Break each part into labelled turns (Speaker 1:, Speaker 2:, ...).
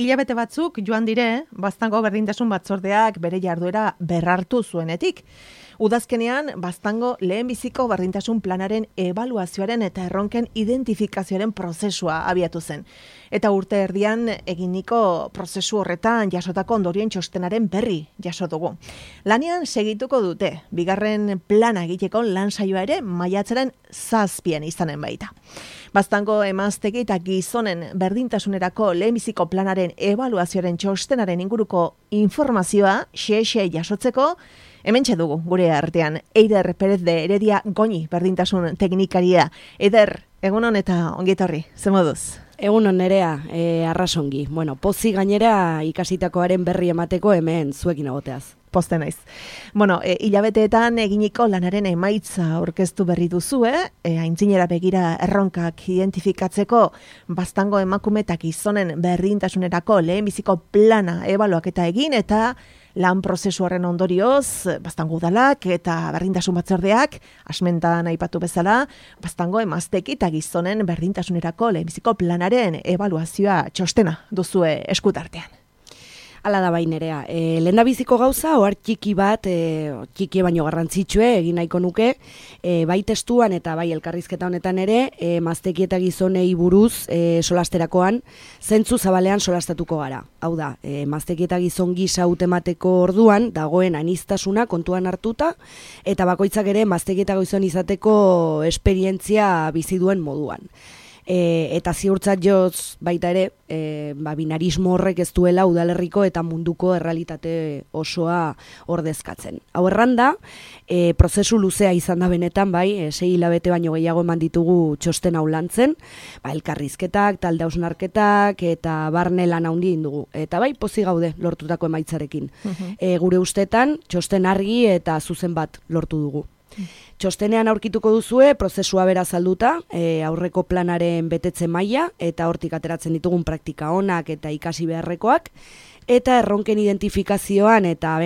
Speaker 1: hilabete batzuk joan dire, Baztango berdintasun batzordeak bere jarduera berrartu zuenetik. Udazkenean, Baztango lehenbiziko berdintasun planaren ebaluazioaren eta erronken identifikazioaren prozesua abiatu zen. Eta urte erdian eginiko prozesu horretan jasotako ondorien txostenaren berri jaso dugu. Lanean segituko dute, bigarren plana egiteko lan saioa ere maiatzaren 7 izanen baita. Baztango emaztegi eta gizonen berdintasunerako lehenbiziko planaren ebaluazioaren txostenaren inguruko informazioa xe jasotzeko, hementxe dugu gure artean, Eider Pérez de Heredia Goñi berdintasun teknikaria. Eider, egunon eta ongietorri, ze moduz?
Speaker 2: Egunon Nerea, arrasongi. Bueno, pozi gainera ikasitakoaren berri emateko hemen zuekin egoteaz.
Speaker 1: Poste naiz. Bueno, hilabeteetan eginiko lanaren emaitza aurkeztu berri duzu, aintzinera begira erronkak identifikatzeko Baztango emakume eta gizonen berdintasunerako lehenbiziko plana ebaluaketa egin eta lan prozesu horren ondorioz, Baztango udalak eta berdintasun batzordeak, asmentan aipatu bezala, Baztango emazteki eta gizonen berdintasunerako lehenbiziko planaren ebaluazioa txostena duzue eskutartean.
Speaker 2: Hala da bai Nerea, lehendabiziko gauza, ohar txiki bat, txiki baino garrantzitsue egin nahiko nuke, bai testuan eta bai elkarrizketa honetan ere, emazteki eta gizonei buruz solasterakoan, zentzu zabalean solastatuko gara. Hau da, emazteki eta gizon gisa utemateko orduan, dagoen aniztasuna kontuan hartuta, eta bakoitzak ere emazteki eta gizon izateko esperientzia bizi duen moduan. Eta ziurtzat joz baita ere, binarismo horrek ez duela udalerriko eta munduko errealitate osoa ordezkatzen. Hau erranda, prozesu luzea izan da benetan, bai, 6 hilabete baino gehiago eman ditugu txosten hau lantzen, elkarrizketak, talde hausnarketak eta barne lan handi dugu. Eta bai, pozik gaude lortutako emaitzarekin. Gure ustetan, txosten argi eta zuzen bat lortu dugu. Txostenean aurkituko duzue, prozesua bera azalduta, aurreko planaren betetze maila eta hortik ateratzen ditugun praktika onak eta ikasi beharrekoak, eta erronken identifikazioan eta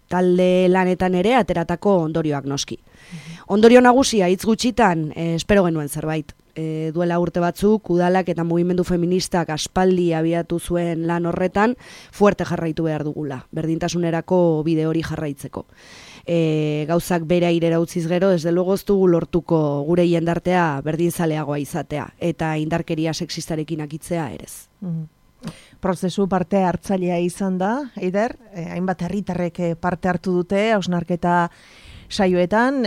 Speaker 2: talde lanetan ere ateratako ondorioak noski. Ondorio nagusia hitz gutxitan, espero genuen zerbait. Duela urte batzuk, udalak eta mugimendu feministak aspaldi abiatu zuen lan horretan, fuerte jarraitu behar dugula, berdintasunerako bide hori jarraitzeko. Gauzak bere airera utziz gero, desde luego ez dugu lortuko gure jendartea berdinzaleagoa izatea, eta indarkeria sexistarekin akitzea erez.
Speaker 1: Prozesu parte hartzailea izan da, Eider, hainbat herritarrek parte hartu dute, hausnarketa saioetan,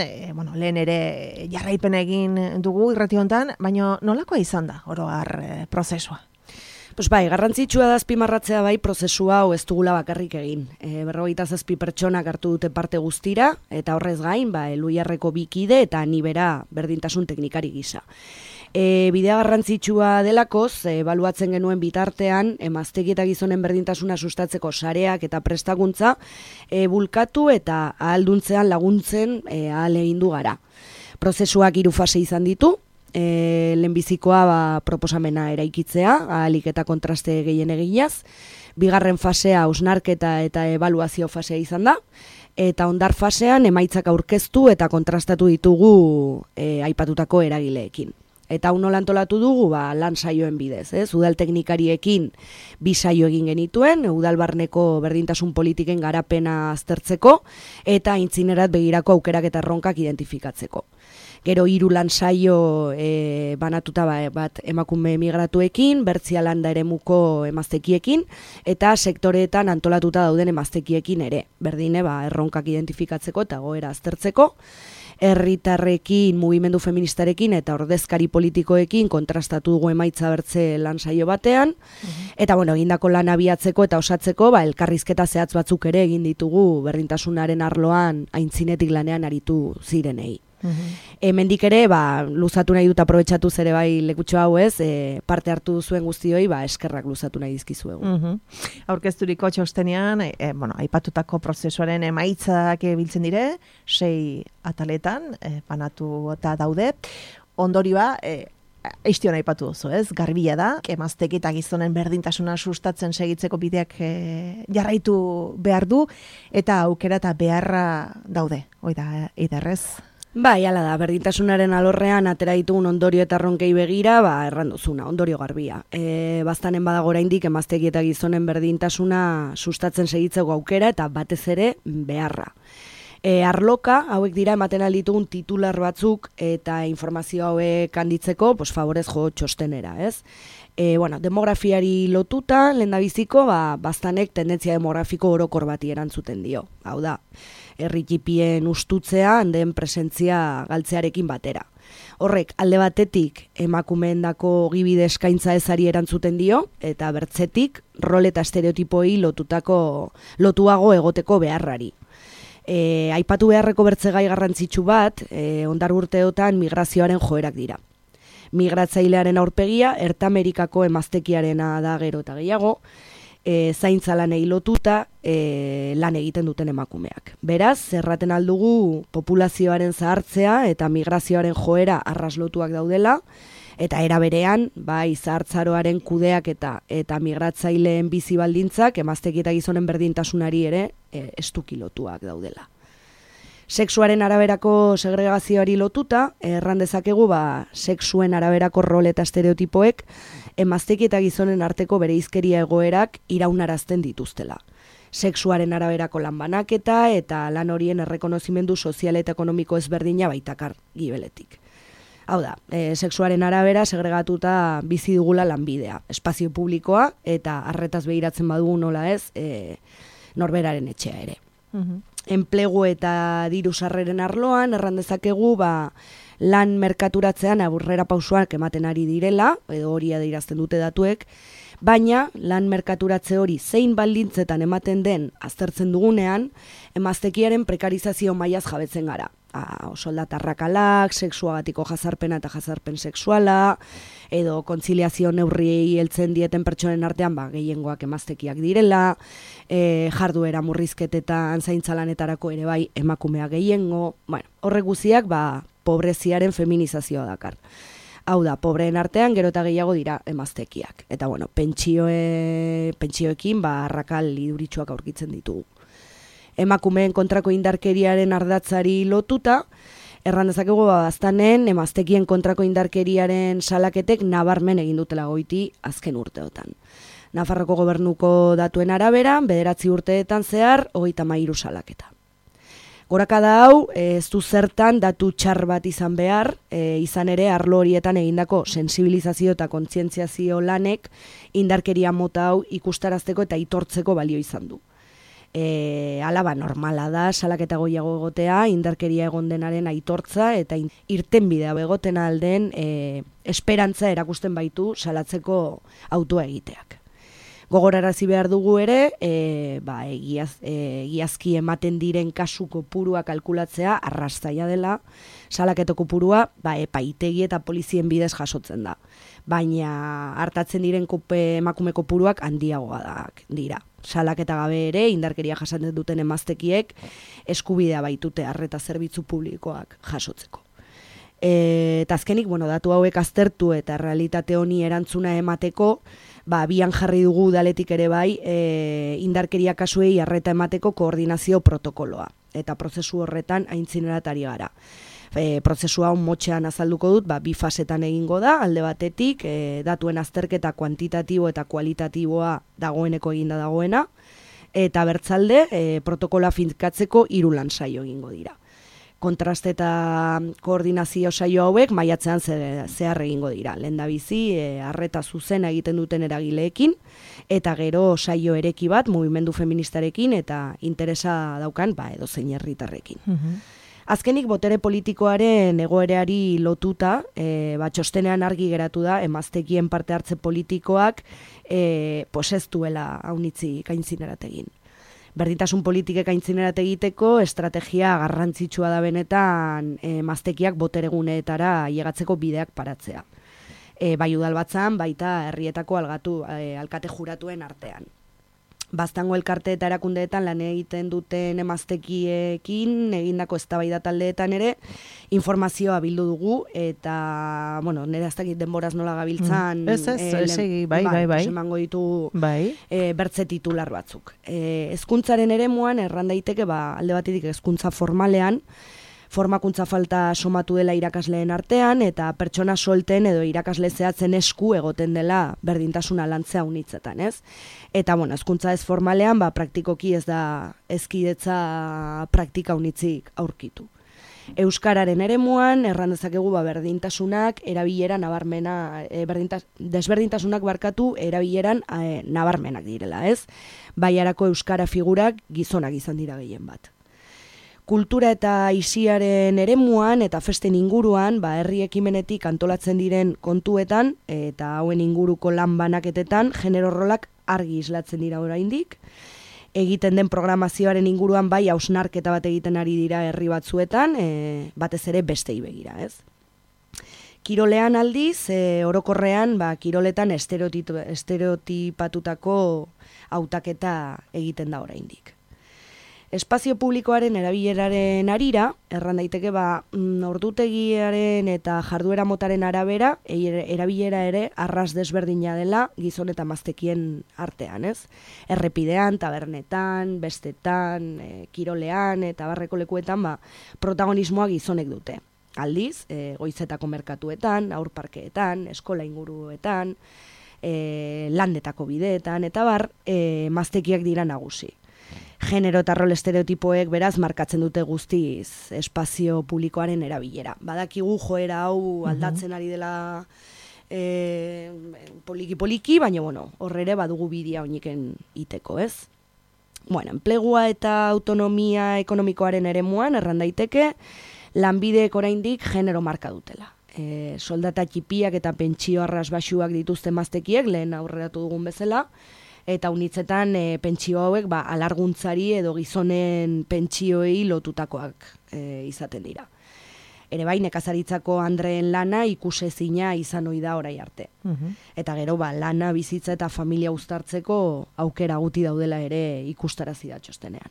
Speaker 1: lehen ere jarraipen egin dugu irrati hontan, baina nolakoa izan da oro har prozesua?
Speaker 2: Pues bai, garrantzitsua da azpimarratzea bai prozesu hau ez dugula bakarrik egin. 47 pertsonak hartu dute parte guztira, eta horrez gain, Eluiarreko 2 kide eta ni bera berdintasun teknikari gisa. Bidea garrantzitsua delakoz, ebaluatzen genuen bitartean, emazteki eta gizonen berdintasuna sustatzeko sareak eta prestakuntza bulkatu eta ahalduntzean laguntzen ahal egin du gara. Prozesuak 3 fase izan ditu, lehenbizikoa proposamena eraikitzea, ahalik eta kontraste gehien eginaz, bigarren fasea hausnarketa eta ebaluazio fasea izan da, eta ondar fasean emaitzak aurkeztu eta kontrastatu ditugu aipatutako eragileekin. Eta hau nola antolatu dugu, lan saioen bidez, udal teknikariekin 2 saio egin genituen, udalbarneko berdintasun politiken garapena aztertzeko, eta aintzinerat begirako aukerak eta erronkak identifikatzeko. Gero 3 lan saio banatuta bat emakume emigratuekin, Bertzia landa eremuko emaztekiekin, eta sektoreetan antolatuta dauden emaztekiekin ere, berdine erronkak identifikatzeko eta goera aztertzeko, herritarrekin, mugimendu feministarekin eta ordezkari politikoekin kontrastatu dugu emaitza bertze lan saio batean, eta egindako lan abiatzeko eta osatzeko elkarrizketa zehatz batzuk ere egin ditugu berdintasunaren arloan aintzinetik lanean aritu zirenei. Hemendik ere, luzatu nahi dut aprobetxatu ere lekutxo hau parte hartu zuen guztioi, eskerrak luzatu nahi dizkizuegu.
Speaker 1: Aurkezturiko txostenean, aipatutako prozesuaren emaitzak biltzen dire, 6 ataletan, banatu eta daude. Ondorioa, Eistion aipatu duzu, garbila da, emazteki eta gizonen berdintasuna sustatzen segitzeko bideak jarraitu behar du, eta aukera eta beharra daude, oida, Eiderrez.
Speaker 2: Bai, hala da, berdintasunaren alorrean atera ditugun ondorio eta erronkei begira, erranduzuna, ondorio garbia. Baztanen badago oraindik emaztegi eta gizonen berdintasuna sustatzen segitzeko aukera eta batez ere beharra. Arloka, hauek dira ematen alditugun titular batzuk eta informazio hauek handitzeko, favorez jo txostenera, ez? Demografiari lotuta, lehendabiziko, baztanek tendentzia demografiko orokor bati erantzuten dio. Hau da, herri txipien ustutzea handen presentzia galtzearekin batera. Horrek, alde batetik emakumeendako gibide eskaintza ezari erantzuten dio, eta bertzetik rol eta estereotipoi lotuago egoteko beharrari. Aipatu beharreko bertzegai garrantzitsu bat, ondar urteotan migrazioaren joerak dira. Migratzailearen aurpegia, Ertamerikako emaztekiarena da gero eta gehiago, zaintza lanei lotuta lan egiten duten emakumeak. Beraz, zerraten aldugu populazioaren zahartzea eta migrazioaren joera arraslotuak daudela, eta era berean, zahartzaroaren kudeak eta migratzaileen bizi baldintzak emazteki eta gizonen berdintasunari ere estuki lotuak daudela. Sexuaren araberako segregazioari lotuta, erran dezakegu sexuen araberako rol eta estereotipoek emazteki eta gizonen arteko bereizkeria egoerak iraunarazten dituztela. Sexuaren araberako lan banaketa eta lan horien errekonozimendu sozial eta ekonomiko ezberdina baitakar gibeletik. Hau da, sexuaren arabera segregatuta bizi dugula lanbidea, espazio publikoa eta arretaz begiratzen badugu nola ez, norberaren etxea ere. Enplegu eta diru sarreren arloan, erran dezakegu, lan merkaturatzean aurrera pausoak ematen ari direla, edo hori adierazten dute datuek, baina lan merkaturatze hori zein baldintzetan ematen den aztertzen dugunean, emaztekiaren prekarizazio mailaz jabetzen gara. Soldata arrakalak, sexuagatiko jazarpena eta jazarpen sexuala, edo kontziliazio neurriei heltzen dieten pertsonen artean gehiengoak emaztekiak direla, jarduera murrizketetan zaintzalanetarako ere bai emakumeak gehiengo, horrek guztiak pobreziaren feminizazioa dakar. Hau da, pobreen artean gero eta gehiago dira emaztekiak. Eta pentsioekin arrakal iduritsuak aurkitzen ditugu. Emakumeen kontrako indarkeriaren ardatzari lotuta, erran dezakegu baztanen emaztekien kontrako indarkeriaren salaketek nabarmen egin dutela goiti azken urteotan. Nafarroko gobernuko datuen arabera, 9 urteetan zehar, 33 salaketa. Gorakada hau, ez du zertan datu txar bat izan behar, izan ere arlo horietan egindako sensibilizazio eta kontzientziazio lanek indarkeria mota hau ikustarazteko eta itortzeko balio izan du. Alaba normala da, salaketa goiago egotea, indarkeria egon denaren aitortza eta irtenbidea egoten alden esperantza erakusten baitu salatzeko autua egiteak. Gogorarazi behar dugu ere, egiazki ematen diren kasu kopurua kalkulatzea arrastaia dela, salaketo kopurua epaitegi eta polizien bidez jasotzen da. Baina hartatzen diren emakume kopuruak handiagoak dira. Salaketa gabe ere, indarkeria jasaten duten emaztekiek eskubidea baitute arreta zerbitzu publikoak jasotzeko. Eta azkenik, datu hauek aztertu eta realitate honi erantzuna emateko, bian jarri dugu udaletik ere bai, indarkeria kasuei arreta emateko koordinazio protokoloa. Eta prozesu horretan aintzineratari gara. Prozesua hon motxean azalduko dut, 2 fasetan egingo da, alde batetik, datuen azterketa kuantitatibo eta kualitatiboa dagoeneko eginda dagoena, eta bertzalde, protokola finkatzeko 3 lan saio egingo dira. Kontraste eta koordinazio saio hauek maiatzean zehar egingo dira. Lehendabizi, arreta zuzena egiten duten eragileekin, eta gero saio ereki bat, mugimendu feministarekin, eta interesa daukan, edozein herritarrekin. Azkenik, botere politikoaren egoereari lotuta, txostenean argi geratu da, emaztekien parte hartze politikoak ez duela haunitzi gaintzinerat egin. Berdintasun politikek aintzinerat egiteko estrategia garrantzitsua da benetan emaztekiak botereguneetara ailegatzeko bideak paratzea. Bai udalbatzan, baita herrietako alkate juratuen artean. Baztango elkarte eta erakundeetan lan egiten duten emaztekiekin egindako eztabaida taldeetan ere informazioa bildu dugu eta, nire ez dakit denboraz nola gabiltzan emango ditugu bertze titular batzuk. Hezkuntzaren eremuan erran daiteke alde batetik hezkuntza formalean Formakuntza falta somatu dela irakasleen artean, eta pertsona solten edo irakasle zehatzen esku egoten dela berdintasuna lantzea unitzetan, ez? Eta, hezkuntza ez formalean, praktikoki ez da hezkidetza praktika unitzik aurkitu. Euskararen eremuan, erran dezakegu berdintasunak erabilera nabarmena, desberdintasunak erabileran nabarmenak direla, ez? Baiarako euskara figurak gizonak izan dira gehien bat. Kultura eta aisiaren eremuan eta festen inguruan, herri ekimenetik antolatzen diren kontuetan eta hauen inguruko lan banaketetan genero rolak argi islatzen dira oraindik. Egiten den programazioaren inguruan hausnarketa bat egiten ari dira herri batzuetan, batez ere bestei begira, ez? Kirolean aldiz, orokorrean, kiroletan estereotipatutako hautaketa egiten da oraindik. Espazio publikoaren erabileraren arira, erran daiteke ordutegiaren eta jarduera motaren arabera, erabilera ere arras desberdina dela gizon eta emaztekien artean, ez? Errepidean, tabernetan, bestetan, kirolean eta barreko lekuetan protagonismoa gizonek dute. Aldiz, goizetako merkatuetan, aurparkeetan, eskola inguruetan, landetako bideetan, eta emaztekiak dira nagusi. Genero eta rol estereotipoek beraz markatzen dute guztiz espazio publikoaren erabilera. Badakigu joera hau aldatzen ari dela poliki-poliki, baina horre badugu bidea oiniken iteko, ez? Enplegua eta autonomia ekonomikoaren eremuan, erran daiteke, lanbideek oraindik genero marka dutela. Soldata txipiak eta pentsio arras baxuak dituzten emaztekiek, lehen aurreratu dugun bezala, eta unitzetan pentsio hauek alarguntzari edo gizonen pentsioei lotutakoak izaten dira. Ere nekazaritzako andreen lana ikusezina izan ohi da orai arte. Eta gero lana, bizitza eta familia uztartzeko aukera guti daudela ere ikustarazi da txostenean.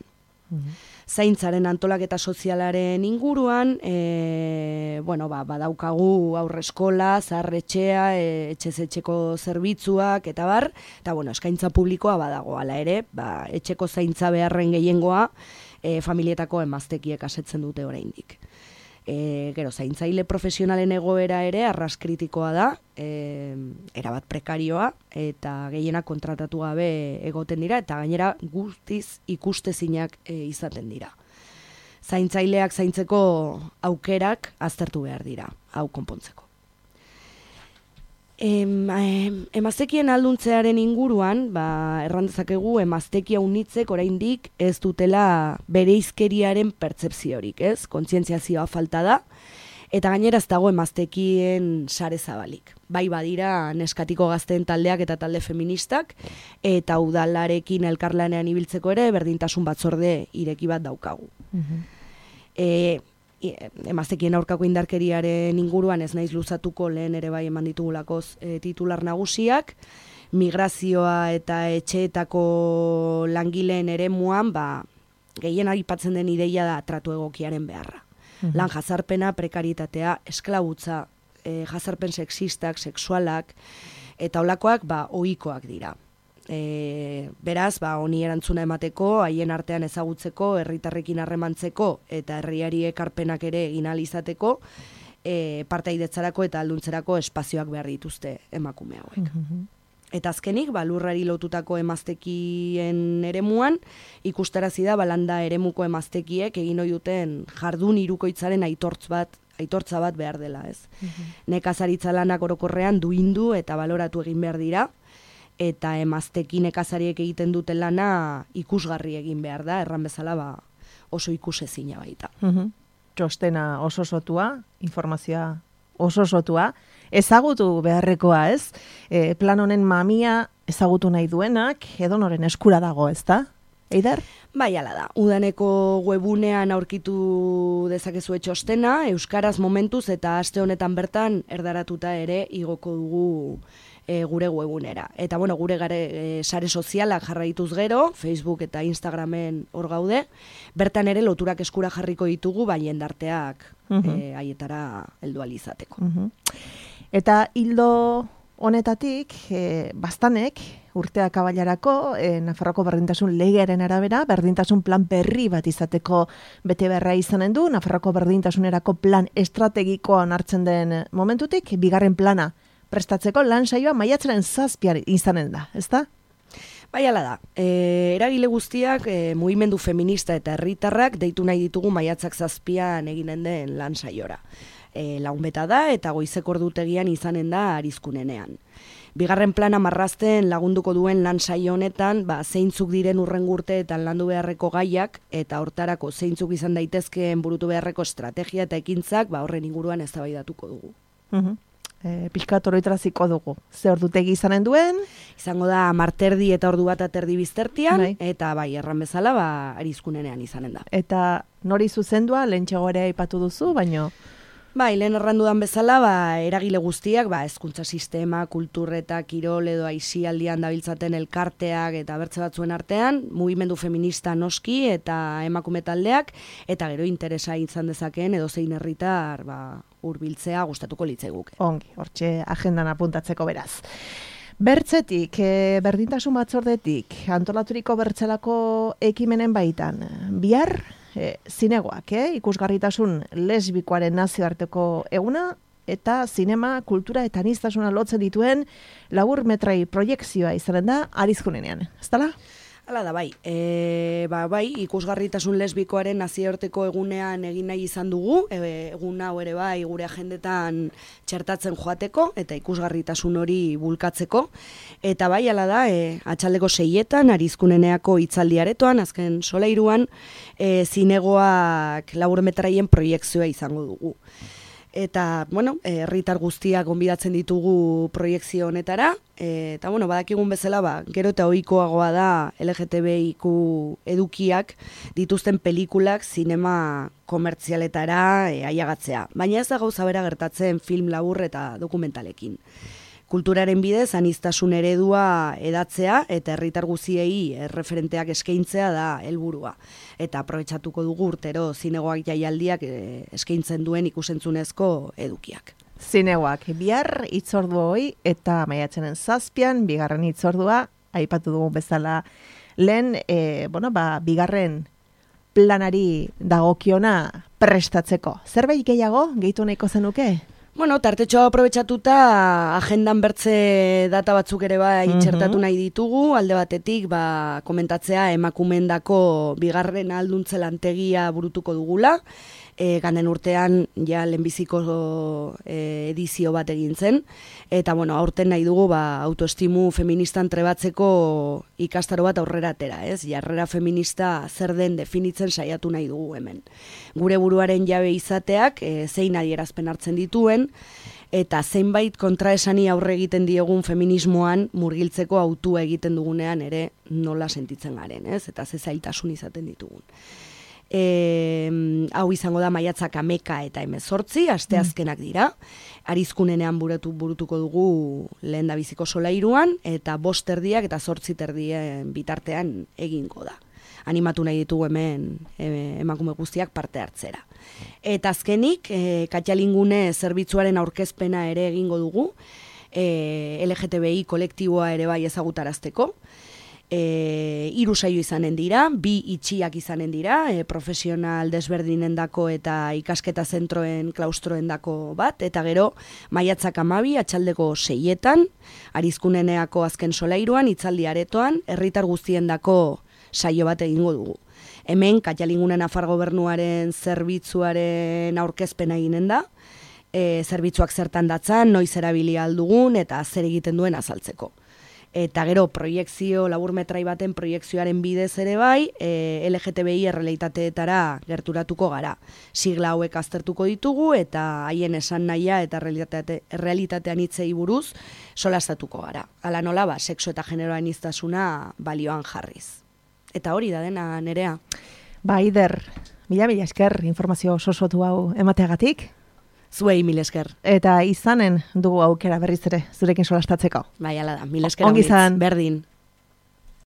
Speaker 2: Zaintzaren antolaketa sozialaren inguruan, badaukagu aurreskola, zaharretxea, etxez-etxeko zerbitzuak, eta eskaintza publikoa badago, hala ere, etxeko zaintza beharren gehiengoa familietako emaztekiek asetzen dute oraindik. Gero, zaintzaile profesionalen egoera ere arras kritikoa da, erabat prekarioa, eta gehienak kontratatu gabe egoten dira, eta gainera guztiz ikustezinak izaten dira. Zaintzaileak zaintzeko aukerak aztertu behar dira, hau konpontzeko. Emaztekien alduntzearen inguruan, erran dezakegu emaztekia unitzek oraindik ez dutela bereizkeriaren pertzepziorik, ez? Kontzientziazioa falta da, eta gainera ez dago emaztekien sare zabalik. Bai badira neskatiko gazteen taldeak eta talde feministak, eta udalarekin elkarlanean ibiltzeko ere berdintasun batzorde ireki bat daukagu. Emaztekien aurkako indarkeriaren inguruan ez naiz luzatuko, lehen ere bai eman ditugulakoz titular nagusiak, migrazioa eta etxeetako langileen eremuan, gehien aipatzen den ideia da tratu egokiaren beharra. Lan jazarpena, prekaritatea, esklabutza, jazarpen sexistak, sexualak, eta holakoak ohikoak dira. Beraz, honi erantzuna emateko, haien artean ezagutzeko, herritarrekin harremantzeko eta herriari ekarpenak ere egin ahal izateko, partaidetzarako eta alduntzerako espazioak behar dituzte emakume hauek. Eta azkenik, lurrari lotutako emaztekien eremuan, ikustarazi da landa eremuko emaztekiek egin ohi duten jardun hirukoitzaren aitortza bat behar dela, ez? Nekazaritza lanak orokorrean duindu eta baloratu egin behar dira, eta emaztekin nekazariek egiten duten lana ikusgarri egin behar da, erran bezala oso ikusezina baita.
Speaker 1: Txostena oso sotua, informazioa oso sotua, ezagutu beharrekoa, ez? Plan honen mamia ezagutu nahi duenak, edonoren eskura dago, ez da? Eider?
Speaker 2: Bai, ala da. Udaneko webunean aurkitu dezakezue txostena, euskaraz momentuz eta aste honetan bertan erdaratuta ere igoko dugu gure webunera. Eta gure sare sozialak jarraituz gero, Facebook eta Instagramen hor gaude, bertan ere loturak eskura jarriko ditugu, jendarteak haietara heldu ahal izateko.
Speaker 1: Eta hildo honetatik, bastanek, urteak abailarako, Nafarroko berdintasun legearen arabera, berdintasun plan berri bat izateko bete beharra izanen du, Nafarroko berdintasunerako plan estrategikoa onartzen den momentutik, bigarren plana prestatzeko lan saioa maiatzaren 7 izanen da, ezta?
Speaker 2: Bai, ala da. Eragile guztiak, mugimendu feminista eta herritarrak deitu nahi ditugu maiatzak 7 eginen den lan saiora. Lagun beta da eta goizeko ordutegian izanen da Arizkunenean. Bigarren plana marrazten lagunduko duen lan saio honetan, zeintzuk diren hurrengo urteetan landu beharreko gaiak eta hortarako zeintzuk izan daitezkeen burutu beharreko estrategia eta ekintzak, horren inguruan eztabaidatuko dugu.
Speaker 1: Pixkat oroitraziko dugu. Ze ordutegi izanen duen?
Speaker 2: Izango da 10:30 eta 1:30 biztertian, eta erran bezala, Arizkunenean izanen da.
Speaker 1: Eta nori zuzendua, lehentxeago ere aipatu duzu, baino...
Speaker 2: Bai, lehen errandudan bezala, eragile guztiak, hezkuntza sistema, kultur eta kirol edo aisialdian dabiltzaten elkarteak eta bertze batzuen artean, mugimendu feminista noski eta emakume taldeak, eta gero interesa izan dezakeen edo zein herritar hurbiltzea gustatuko litzaiguke.
Speaker 1: Ongi, hortxe agendan apuntatzeko beraz. Bertzetik, berdintasun batzordetik, antolaturiko bertzelako ekimenen baitan, bihar, zinegoak, ikusgarritasun lesbikoaren nazioarteko eguna, eta zinema, kultura eta aniztasuna lotzen dituen labur metrai proiekzioa izanen da Arizkunenean. Ez dala?
Speaker 2: Hala da, bai. Bai, ikusgarritasun lesbikoaren nazioarteko egunean egin nahi izan dugu, egun hau ere bai gure agendetan txertatzen joateko eta ikusgarritasun hori bulkatzeko. Eta bai, hala da, atxaldeko 6etan, Arizkuneneako hitzaldiaretoan, azken solairuan, zinegoak laburmetraien proiekzioa izango dugu. Eta, herritar guztiak gonbidatzen ditugu proiekzio honetara, eta, badakigun bezala, gero eta ohikoagoa da LGTBIQ edukiak dituzten pelikulak zinema komertzialetara aiagatzea. Baina ez da gauza bera gertatzen film labur eta dokumentalekin. Kulturaren bidez, aniztasun eredua edatzea eta herritar guziei erreferenteak eskaintzea da helburua. Eta aprobetxatuko dugu urtero zinegoak jaialdiak eskaintzen duen ikusentzunezko edukiak.
Speaker 1: Zinegoak bihar hitzordu hoi eta maiatzaren 7 bigarren hitzordua aipatu dugu bezala lehen, bigarren planari dagokiona prestatzeko. Zerbait gehiago gehitu nahiko zenuke?
Speaker 2: Tartetxoa aprobetxatuta agendan bertze data batzuk ere txertatu nahi ditugu, alde batetik komentatzea emakumendako bigarren alduntze lantegia burutuko dugula, ganden urtean lehenbiziko edizio bat egin zen, eta aurten nahi dugu autoestimu feministan trebatzeko ikastaro bat aurrera atera, jarrera feminista zer den definitzen saiatu nahi dugu hemen. Gure buruaren jabe izateak zein adierazpen hartzen dituen, eta zeinbait kontraesani aurre egiten diegun feminismoan murgiltzeko autua egiten dugunean ere nola sentitzen garen, eta ze zailtasun izaten ditugun. Hau izango da maiatzak 11 eta 18, asteazkenak dira. Arizkunenean burutuko dugu lehendabiziko solairuan, eta 5:30 eta 8:30 bitartean egingo da. Animatu nahi ditugu hemen emakume guztiak parte hartzera. Eta azkenik, Katxalingune zerbitzuaren aurkezpena ere egingo dugu, LGTBI kolektiboa ere bai ezagutarazteko. 3 saio izanen dira, 2 itxiak izanen dira, profesional desberdinendako eta ikasketa zentroen klaustroendako bat, eta gero maiatzak 12, atxaldeko 6etan, Arizkuneneako azken solairuan, hitzaldi aretoan, herritar guztiendako saio bat egingo dugu. Hemen, Katxalingune Nafar Gobernuaren zerbitzuaren aurkezpena eginen da, zerbitzuak zertan datzan, noiz erabili aldugun eta zer egiten duen azaltzeko. Eta gero proiekzio, laburmetrai baten proiekzioaren bidez ere bai, LGTBI errealitateetara gerturatuko gara. Sigla hauek aztertuko ditugu eta haien esan nahia eta errealitatean hitzei buruz solastatuko gara. Hala nola, sexu eta genero aniztasuna balioan jarriz. Eta hori da dena, Nerea.
Speaker 1: Ider, mila esker informazio sosotu hau emateagatik.
Speaker 2: Zuei mil esker.
Speaker 1: Eta izanen dugu aukera berriz ere zurekin solastatzeko.
Speaker 2: Bai, ala da, mil esker.
Speaker 1: Ongi izan.
Speaker 2: Berdin.